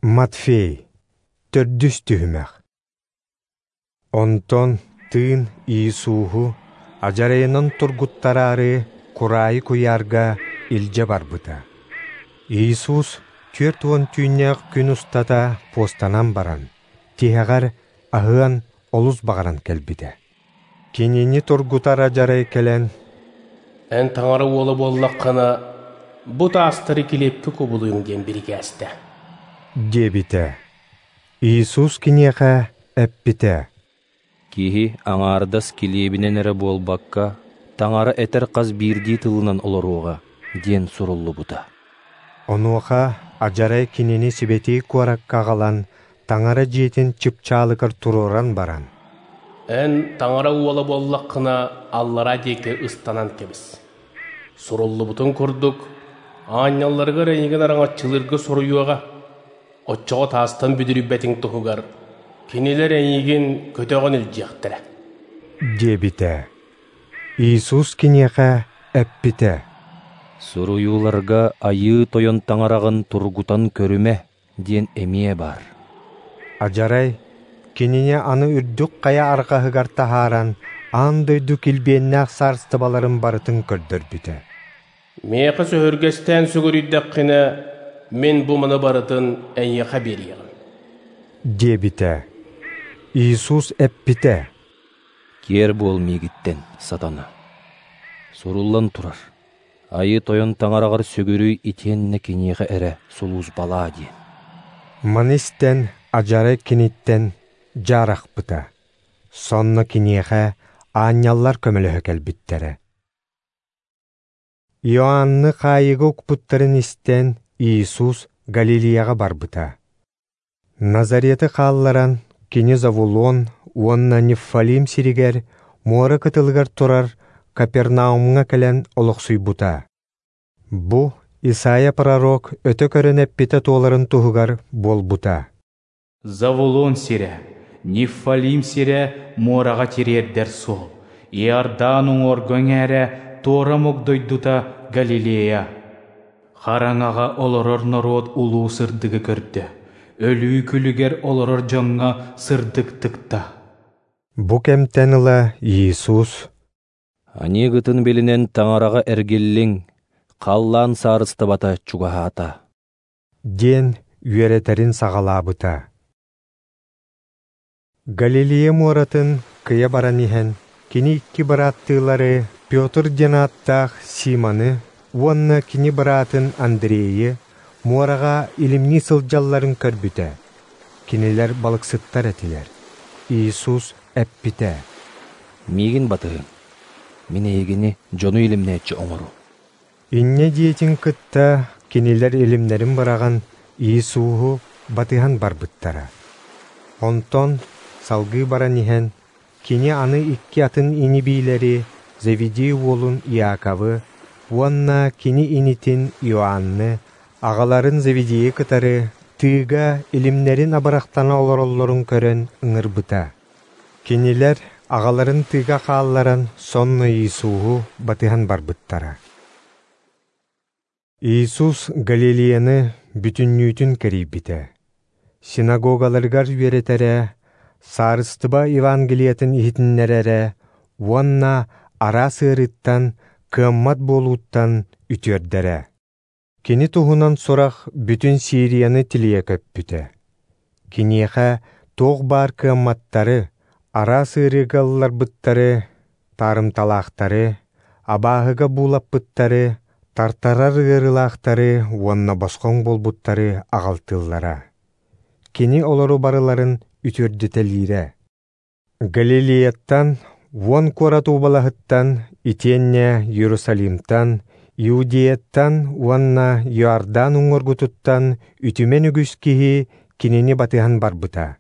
Матфей, төрдүс түһүмэх. Онтон тыын Иисуһу адьарайынан тургуттараары кураайы куйаарга илдьэ барбыта. Иисус 40 түүннээх күн устата пуостанан баран, тиһэҕэр аһыан олус баҕаран кэлбитэ. Кинини тургутар адьарай кэлэн, «Эн таҥара уола буоллаххына, бу таастары килиэпкэ кубулуйуҥ» диэн бирикээстэ. Диэбитэ. Иисус киниэхэ эппитэ: «Киһи аҥаардас килиэбинэн эрэ буолбакка, Таҥара этэр хас биирдии тылынан олоруоҕа» диэн суруллубута. Онуоха адьарай кинини сибэтиэй куоракка аҕалан, Таҥара дьиэтин чыпчаалыгар туруоран баран, «Эн таҥара уола буоллаххына, аллараа диэки ыстанан кэбис. Суруллубутун курдук, аанньалларыгар эйигин араҥаччылыырга соруйуоҕа. Оччоҕо таастан бүдүрүйбэтиҥ туһугар, кинилэр эйигин көтөҕөн илдьиэхтэрэ» диэбитэ. Иисус киниэхэ эппитэ: «Суруйууларга Айыы Тойон Таҥараҕын тургутан көрүмэ» диэн эмиэ баар. Адьарай кинини аны үрдүк хайа арҕаһыгар таһааран, аан дойду килбиэннээх саарыстыбаларын барытын көрдөрбүтэ. «Миэхэ сөһүргэстээн сүгүрүйдэххинэ, мин бу маны барытын эйиэхэ биэриэҕим» диэбитэ. Иисус эппитэ: «Киэр буол миигиттэн, сатана. Суруллан турар, Айыы Тойон Таҥараҕар сүгүрүй итиэннэ киниэхэ эрэ сулууспалаа» диэн. Маны истэн адьарай киниттэн дьаарахпыта. Сонно киниэхэ аанньаллар көмөлөһө кэлбиттэрэ. Иоанны хаайыыга укпуттарын истэн, Иисус Галилеяҕа барбыта. Назареты хаалларан, кини Завулон уонна Неффалим сиригэр муора кытылыгар турар Капернаумҥа кэлэн олохсуйбута. Бу Исайя пророк өтө көрөн эппитэ туоларын туһугар буолбута. Завулон сирэ, Неффалим сирэ муораҕа тириэрдэр суол, Иордан уҥуоргу эҥээрэ туора омук дойдута Галилея. Хараҥаҕа олорор норуот улуу сырдыгы көрдө, өлүү күлүгэр олорор дьоҥҥо сырдык тыкта. Бу кэмтэн ыла Иисус «Аньыыгытын билинэн Таҥараҕа эргиллиҥ, халлаан саарыстыбата чугаһаата» диэн үөрэтэрин саҕалаабыта. Галилея муоратын кыйа баран иһэн, кини икки бырааттыылары Петр диэн ааттаах Симоны уонна кини быраатын Андрейы муораҕа илимнии сылдьалларын көрбүтэ. Кинилэр балыксыттар этилэр. Иисус эппитэ: «Миигин батыһыҥ, мин эйигини дьону илимнээччи оҥоруом». Инньэ диэтин кытта кинилэр илимнэрин быраҕан Иисуһу батыһан барбыттара. Онтон салгыы баран иһэн, кини аны икки атын ини-биилэри Зеведей уолун Иаковы уонна кини инитин Иоанны, аҕаларын Зеведейи кытары тыыга илимнэрин абырахтана олороллорун көрөн ыҥырбыта. Кинилэр аҕаларын тыыга хаалларан сонно Иисуһу батыһан барбыттара. Иисус Галилеяны бүтүннүүтүн кэрийбитэ. Синагогаларыгар үөрэтэрэ, саарыстыба Евангелиятын иһитиннэрэрэ уонна араас ыарыыттан, кыаммат буолууттан үтүөрдэрэ. Кини туһунан сурах бүтүн Сирияны тилийэ көппүтэ. Киниэхэ туох баар кыамматтары, араас ыарыыга ылларбыттары, таарымталаахтары, абааһыга буулаппыттары, тартарар ыарыылаахтары уонна босхоҥ буолбуттары аҕалтыыллара. Кини олору барыларын үтүөрдүтэлиирэ. Галилеяттан, 10 куорат уобалаһыттан, итиэннэ Иерусалимтан, Иудеяттан уонна Иордан уҥуоргутуттан үтүмэн үгүс киһи кинини батыһан барбыта.